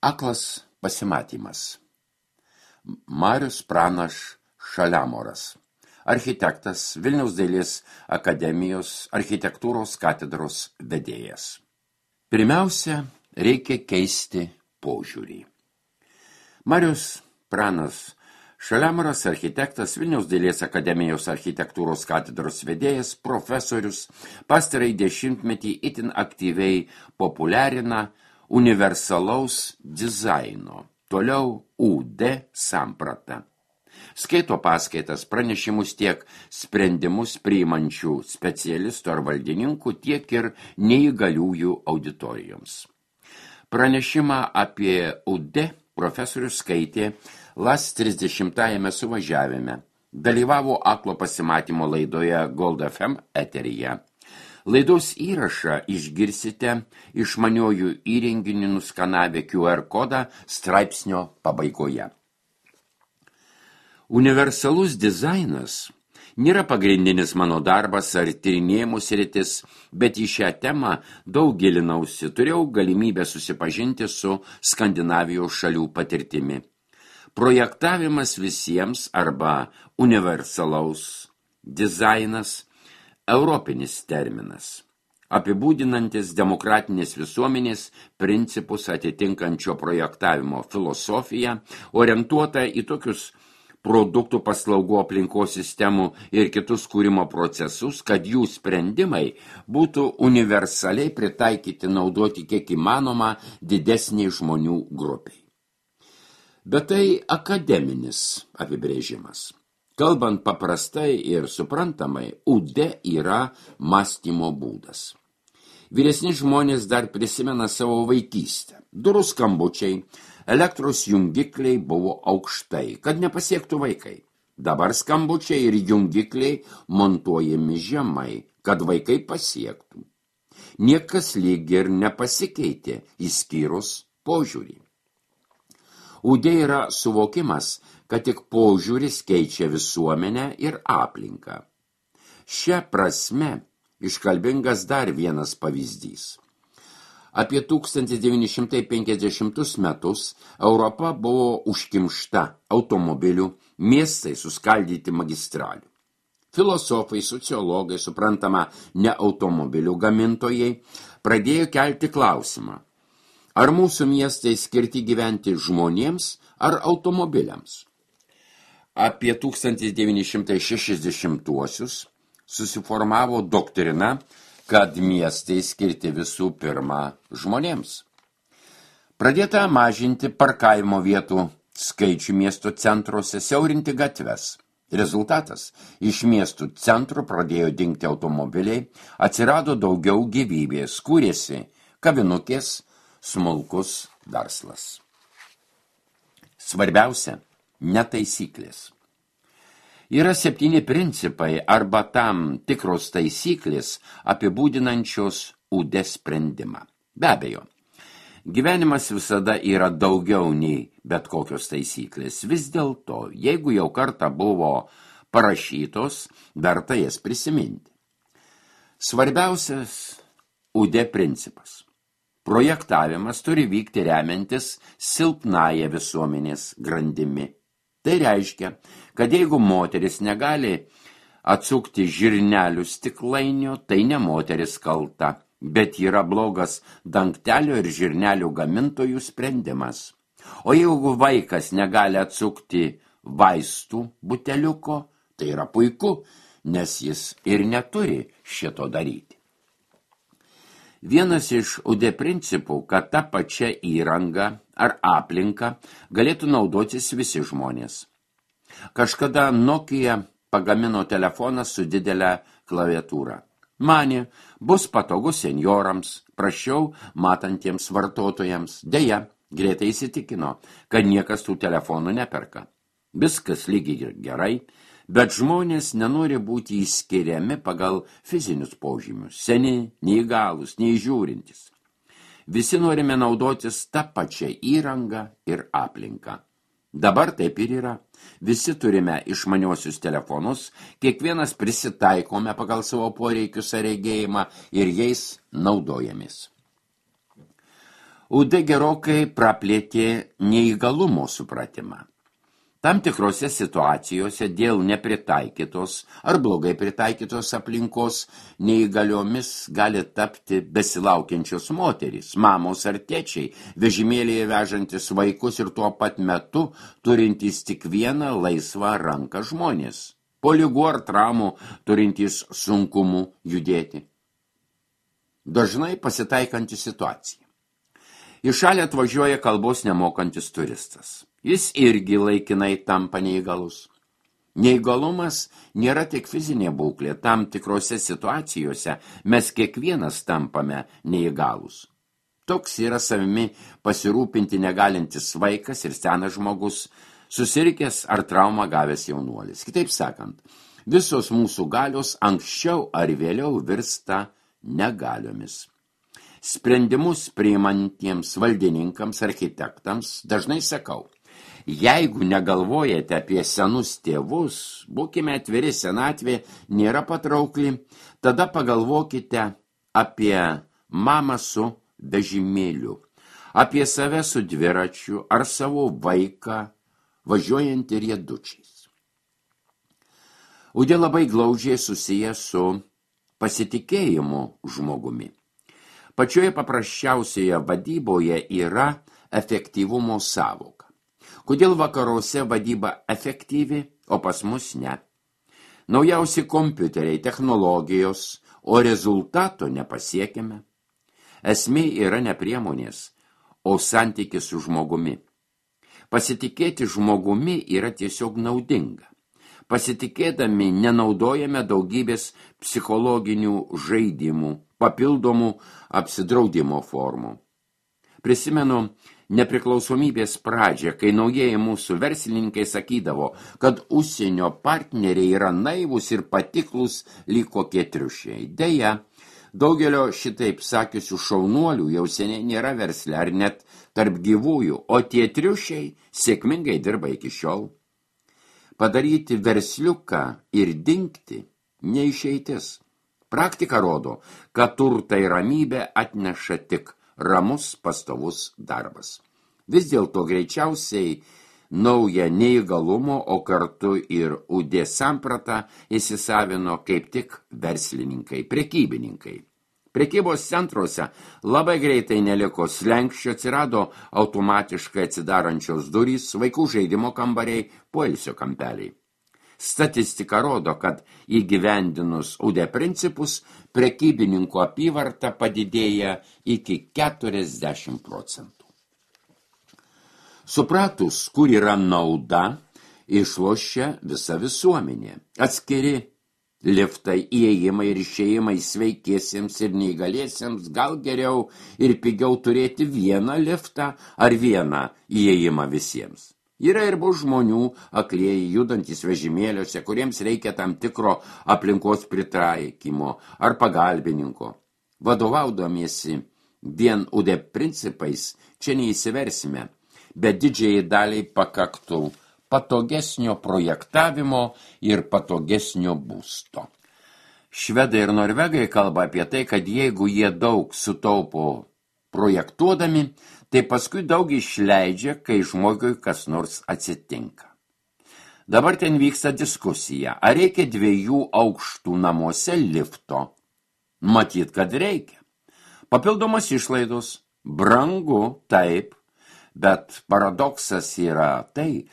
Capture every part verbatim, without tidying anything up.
Aklas pasimatymas. Marius Pranas Šaliamoras, architektas, Vilniaus dailės akademijos architektūros katedros vedėjas. Pirmiausia, reikia keisti požiūrį. Marius Pranas Šaliamoras, architektas, Vilniaus dailės akademijos architektūros katedros vedėjas, profesorius, pastarąjį dešimtmetį itin aktyviai populiarina universalaus dizaino, toliau U D samprata. Skaito paskaitas, pranešimus tiek sprendimus priimančių specialistų ar valdininkų, tiek ir neįgaliųjų auditorijoms. Pranešimą apie U D profesorius skaitė LAS trisdešimtajame suvažiavime, dalyvavo aklo pasimatymo laidoje Gold F M eteryje. Laidos įrašą išgirsite išmaniojų įrenginių nuskanavę Q R kodą straipsnio pabaigoje. Universalus dizainas nėra pagrindinis mano darbas ar tyrinėjimų sritis, bet į šią temą daug gilinausi, turėjau galimybę susipažinti su Skandinavijos šalių patirtimi. Projektavimas visiems arba universalaus dizainas europinis terminas, apibūdinantis demokratinės visuomenės principus atitinkančio projektavimo filosofiją, orientuota į tokius produktų, paslaugų, aplinkos sistemų ir kitus kūrimo procesus, kad jų sprendimai būtų universaliai pritaikyti naudoti kiek įmanoma didesniai žmonių grupiai. Bet tai akademinis apibrėžimas. Kalbant paprastai ir suprantamai, U D yra mąstymo būdas. Vyresni žmonės dar prisimena savo vaikystę. Durų skambučiai, elektros jungikliai buvo aukštai, kad nepasiektų vaikai. Dabar skambučiai ir jungikliai montuojami žemai, kad vaikai pasiektų. Niekas lyg ir nepasikeitė, išskyrus požiūrį. U D yra suvokimas, kad tik požiūris keičia visuomenę ir aplinką. Šia prasme iškalbingas dar vienas pavyzdys. Apie tūkstantis devyni šimtai penkiasdešimtus metus Europa buvo užkimšta automobilių, miestai suskaldyti magistralių. Filosofai, sociologai, suprantama, ne automobilių gamintojai, pradėjo kelti klausimą, ar mūsų miestai skirti gyventi žmonėms ar automobiliams. Apie tūkstantis devyni šimtai šešiasdešimtuosius susiformavo doktrina, kad miestai skirti visų pirma žmonėms. Pradėta mažinti parkavimo vietų skaičių miesto centruose, siaurinti gatves. Rezultatas – iš miestų centrų pradėjo dingti automobiliai, atsirado daugiau gyvybės, kūrėsi kavinukės, smulkus verslas. Svarbiausia – ne taisyklės. Yra septyni principai arba tam tikros taisyklės apibūdinančios U D sprendimą. Be abejo, gyvenimas visada yra daugiau nei bet kokios taisyklės. Vis dėlto, jeigu jau kartą buvo parašytos, verta jas prisiminti. Svarbiausias U D principas. Projektavimas turi vykti remiantis silpnąją visuomenės grandimi. Tai reiškia, kad jeigu moteris negali atsukti žirnelių stiklainio, tai ne moteris kalta, bet yra blogas dangtelio ir žirnelių gamintojų sprendimas. O jeigu vaikas negali atsukti vaistų buteliuko, tai yra puiku, nes jis ir neturi šito daryti. Vienas iš U D principų, kad ta pačia įranga ar aplinka galėtų naudotis visi žmonės. Kažkada Nokia pagamino telefoną su didelė klaviatūra. Manė, bus patogu senjorams, prašiau matantiems vartotojams. Deja, greitai įsitikino, kad niekas tų telefonų neperka. Viskas lygiai gerai, bet žmonės nenori būti įskiriami pagal fizinius požymius, seni, neįgalūs, neįžiūrintis. Visi norime naudotis tą pačią įrangą ir aplinką. Dabar taip ir yra. Visi turime išmaniuosius telefonus, kiekvienas prisitaikome pagal savo poreikius ar regėjimą ir jais naudojamės. U D gerokai praplėtė neįgalumo supratimą. Tam tikrose situacijose dėl nepritaikytos ar blogai pritaikytos aplinkos neįgaliomis gali tapti besilaukiančios moterys, mamos ar tėčiai, vežimėlėje vežantis vaikus ir tuo pat metu turintys tik vieną laisvą ranką žmonės, po ligų ar traumų turintys sunkumų judėti. Dažnai pasitaikanti situacija. Į šalį atvažiuoja kalbos nemokantis turistas. Jis irgi laikinai tampa neįgalus. Neįgalumas nėra tik fizinė būklė, tam tikrose situacijose mes kiekvienas tampame neįgalus. Toks yra savimi pasirūpinti negalintis vaikas ir senas žmogus, susirikęs ar traumą gavęs jaunuolis. Kitaip sakant, visos mūsų galios anksčiau ar vėliau virsta negaliomis. Sprendimus priimantiems valdininkams, architektams dažnai sakau, jeigu negalvojate apie senus tėvus, būkime atviri, senatvė nėra patraukli, tada pagalvokite apie mamą su vežimėliu, apie save su dviračiu ar savo vaiką važiuojantį riedučiais. Udė labai glaudžiai susiję su pasitikėjimu žmogumi. Pačioje paprasčiausioje vadyboje yra efektyvumo sąvoka. Kodėl vakaruose vadyba efektyvi, o pas mus ne? Naujausi kompiuteriai, technologijos, o rezultato nepasiekime. Esmė yra ne priemonės, o santykis su žmogumi. Pasitikėti žmogumi yra tiesiog naudinga. Pasitikėdami nenaudojame daugybės psichologinių žaidimų, papildomų apsidraudimo formų. Prisimenu nepriklausomybės pradžią, kai naujieji mūsų verslininkai sakydavo, kad užsienio partneriai yra naivūs ir patiklus lyg kokie triušiai. Deja, daugelio šitaip sakiusių šaunuolių jau seniai nėra versle ar net tarp gyvųjų, o tie triušiai sėkmingai dirba iki šiol. Padaryti versliuką ir dingti neišeitis. Praktika rodo, kad turtą ir ramybę atneša tik ramus pastovus darbas. Vis dėlto greičiausiai naują neįgalumo, o kartu ir U D sampratą įsisavino kaip tik verslininkai, prekybininkai. Prekybos centruose labai greitai neliko slenkščio, atsirado automatiškai atsidarančios durys, vaikų žaidimo kambariai, poilsio kampeliai. Statistika rodo, kad įgyvendinus U D principus, prekybininkų apyvarta padidėja iki keturiasdešimt procentų. Supratus, kur yra nauda, išlošia visa visuomenė. Atskiri liftai, įėjimai ir išėjimai sveikiesiems ir neįgaliesiems, gal geriau ir pigiau turėti vieną liftą ar vieną įėjimą visiems. Yra ir bus žmonių, aklieji, judantys vežimėliuose, kuriems reikia tam tikro aplinkos pritaikymo ar pagalbininko. Vadovaudamiesi vien U D principais, čia neįsiversime, bet didžiai daliai pakaktų patogesnio projektavimo ir patogesnio būsto. Švedai ir norvegai kalba apie tai, kad jeigu jie daug sutaupo projektuodami, tai paskui daug išleidžia, kai žmogui kas nors atsitinka. Dabar ten vyksta diskusija, ar reikia dviejų aukštų namuose lifto. Matyt, kad reikia. Papildomas išlaidos, brangu, taip, bet paradoksas yra tai,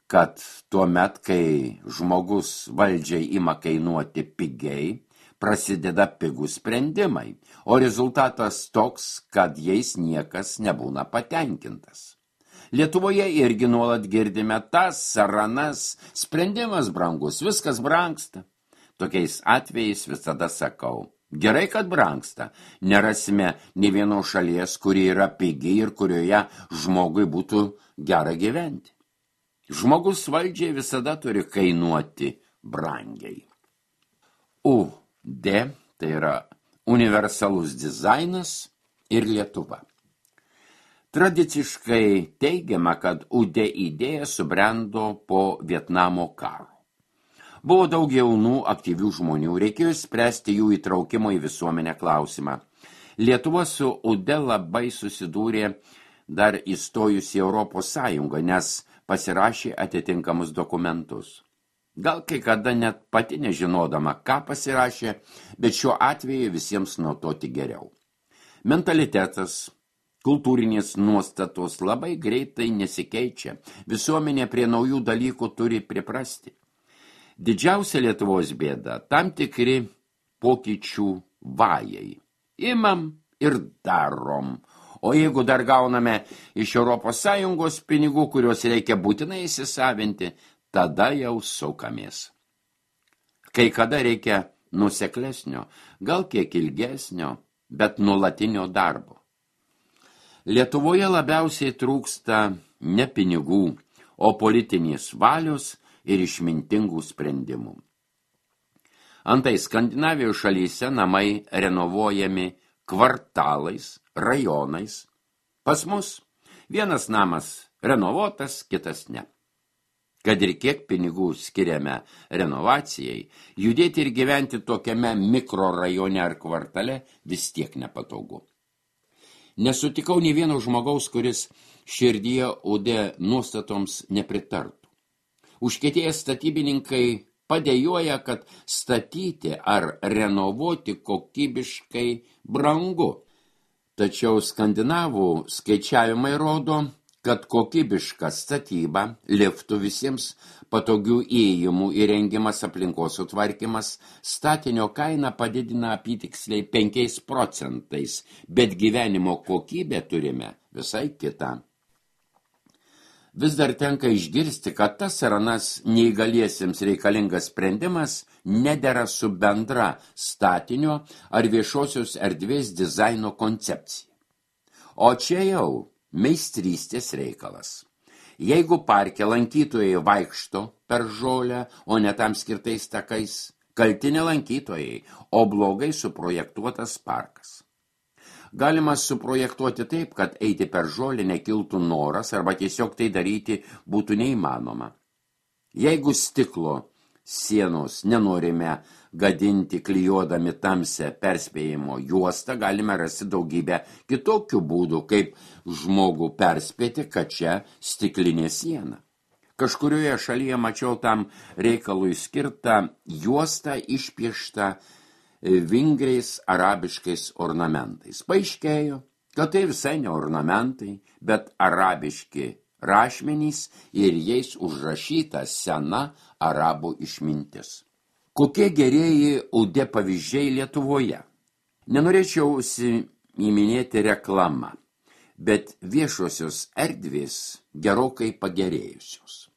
kad tuo met, kai žmogus valdžiai ima kainuoti pigiai, prasideda pigų sprendimai, o rezultatas toks, kad jais niekas nebūna patenkintas. Lietuvoje irgi nuolat girdime tas, saranas, sprendimas brangus, viskas brangsta. Tokiais atvejais visada sakau, gerai, kad brangsta, nerasime nė vienos šalies, kuri yra pigi ir kurioje žmogui būtų gera gyventi. Žmogus valdžiai visada turi kainuoti brangiai. U D, tai yra universalus dizainas ir Lietuva. Tradiciškai teigiama, kad U D idėja subrendo po Vietnamo karo. Buvo daug jaunų aktyvių žmonių, reikėjo spręsti jų įtraukimo į visuomenę klausimą. Lietuva su U D labai susidūrė dar įstojus į Europos Sąjungą, nes pasirašė atitinkamus dokumentus. Gal kai kada net pati nežinodama, ką pasirašė, bet šiuo atveju visiems nuo to tik geriau. Mentalitetas, kultūrinės nuostatos labai greitai nesikeičia, visuomenė prie naujų dalykų turi priprasti. Didžiausia Lietuvos bėda – tam tikri pokyčių vajai. Imam ir darom. O jeigu dar gauname iš Europos Sąjungos pinigų, kuriuos reikia būtinai įsisavinti, tada jau sukamės. Kai kada reikia nuseklesnio, gal kiek ilgesnio, bet nuolatinio darbo. Lietuvoje labiausiai trūksta ne pinigų, o politinės valios ir išmintingų sprendimų. Antai Skandinavijos šalyse namai renovuojami kvartalais, rajonais. Pas mus vienas namas renovuotas, kitas ne. Kad ir kiek pinigų skiriame renovacijai, judėti ir gyventi tokiame mikrorajone ar kvartale vis tiek nepatogu. Nesutikau nei vieno žmogaus, kuris širdyje U D nuostatoms nepritartų. Užkietėję statybininkai padėjoja, kad statyti ar renovuoti kokybiškai brangu. Tačiau skandinavų skaičiavimai rodo, kad kokybiška statyba, liftų visiems patogių įėjimų įrengimas, aplinkos sutvarkymas, statinio kainą padidina apytiksliai penkiais procentais, bet gyvenimo kokybę turime visai kitą. Vis dar tenka išgirsti, kad tas ar anas neįgaliesiems reikalingas sprendimas nedera su bendra statinio ar viešosios erdvės dizaino koncepcija. O čia jau meistrystės reikalas. Jeigu parke lankytojai vaikšto per žolę, o ne tam skirtais takais, kalti ne lankytojai, o blogai suprojektuotas parkas. Galima suprojektuoti taip, kad eiti per žolę nekiltų noras arba tiesiog tai daryti būtų neįmanoma. Jeigu stiklo sienos nenorime gadinti klijuodami tamsią perspėjimo juostą, galime rasti daugybę kitokių būdų, kaip žmogų perspėti, kad čia stiklinė siena. Kažkurioje šalyje mačiau tam reikalui skirtą juostą išpieštą vingriais arabiškais ornamentais. Paaiškėjo, kad tai visai ne ornamentai, bet arabiški rašmenys ir jais užrašyta sena arabų išmintis. Kokie gerieji U D pavyzdžiai Lietuvoje? Nenorėčiau įminėti reklamą, bet viešosios erdvės gerokai pagerėjusios.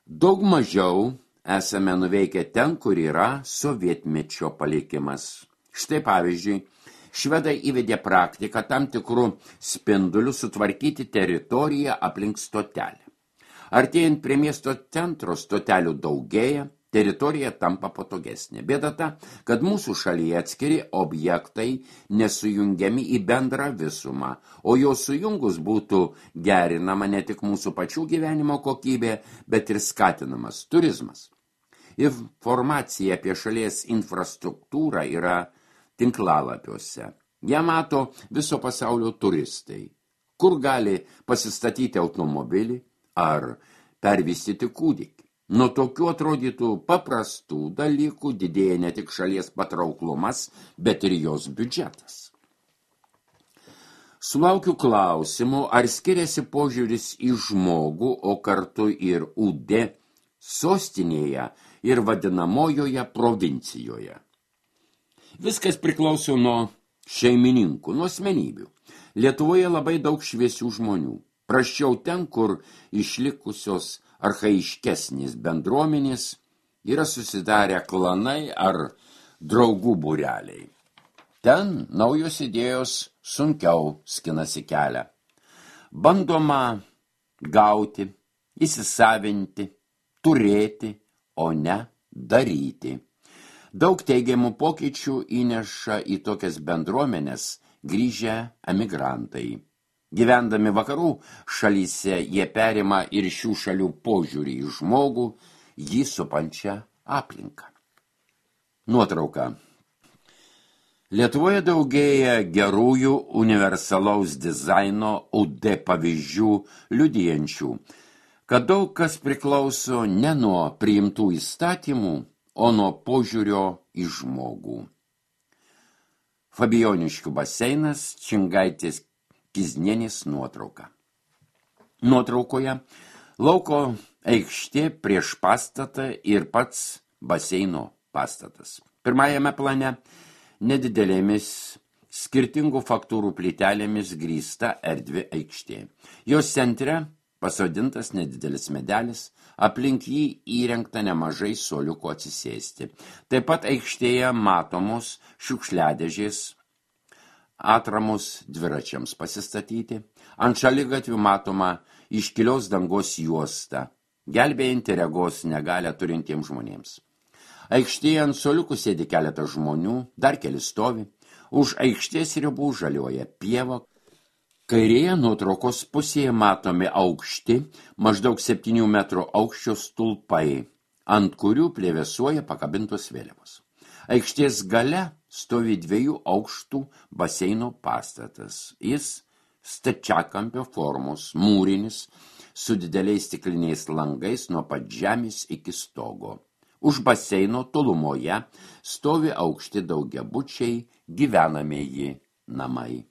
Daug mažiau esame nuveikę ten, kur yra sovietmečio palikimas. Štai pavyzdžiui, švedai įvedė praktiką tam tikrų spindulių sutvarkyti teritoriją aplink stotelę. Artėjant prie miesto centro stotelių daugėja, teritorija tampa patogesnė. Bėda ta, kad mūsų šalyje atskiri objektai nesujungiami į bendrą visumą, o jo sujungus būtų gerinama ne tik mūsų pačių gyvenimo kokybė, bet ir skatinamas turizmas. Informacija apie šalies infrastruktūrą yra tinklalapiuose. Ją mato viso pasaulio turistai, kur gali pasistatyti automobilį ar pervystyti kūdikį. Nuo tokių atrodytų paprastų dalykų didėja ne tik šalies patrauklumas, bet ir jos biudžetas. Sulaukiu klausimų, ar skiriasi požiūris į žmogų, o kartu ir U D sostinėje ir vadinamojoje provincijoje. Viskas priklauso nuo šeimininkų, nuo asmenybių. Lietuvoje labai daug šviesių žmonių. Prasčiau ten, kur išlikusios archaiškesnės bendruomenės yra susidarę klanai ar draugų būreliai. Ten naujos idėjos sunkiau skinasi kelią. Bandoma gauti, įsisavinti, turėti, o ne daryti. Daug teigiamų pokyčių įneša į tokias bendruomenės grįžę emigrantai. Gyvendami vakarų šalyse jie perima ir šių šalių požiūrį į žmogų, jį supančią aplinką. Nuotrauka. Lietuvoje daugėja gerųjų universalaus dizaino U D pavyzdžių liudijančių, kad daug kas priklauso ne nuo priimtų įstatymų, o nuo požiūrio į žmogų. Fabijoniškių baseinas, Čingaitės Kiznienės nuotrauka. Nuotraukoje lauko aikštė prieš pastatą ir pats baseino pastatas. Pirmajame plane nedidelėmis skirtingų faktūrų plytelėmis grįsta erdvi aikštė. Jos centre pasodintas nedidelis medelis, aplink jį įrengta nemažai suoliukų atsisėsti. Taip pat aikštėje matomos šiukšliadėžės, atramos dviračiams pasistatyti, ant šaligatvių matoma iškilios dangos juosta, gelbėjanti regos negalią turintiems žmonėms. Aikštėje ant suoliukų sėdi keletas žmonių, dar keli stovi, už aikštės ribų žaliuoja pieva. Kairėje nuotraukos pusėje matomi aukšti, maždaug septynių metrų aukščio stulpai, ant kurių plevėsuoja pakabintos vėliavos. Aikštės gale stovi dviejų aukštų baseino pastatas. Jis stačiakampio formos, mūrinis, su dideliais stikliniais langais nuo pat žemės iki stogo. Už baseino tolumoje stovi aukšti daugiabučiai gyvenamieji namai.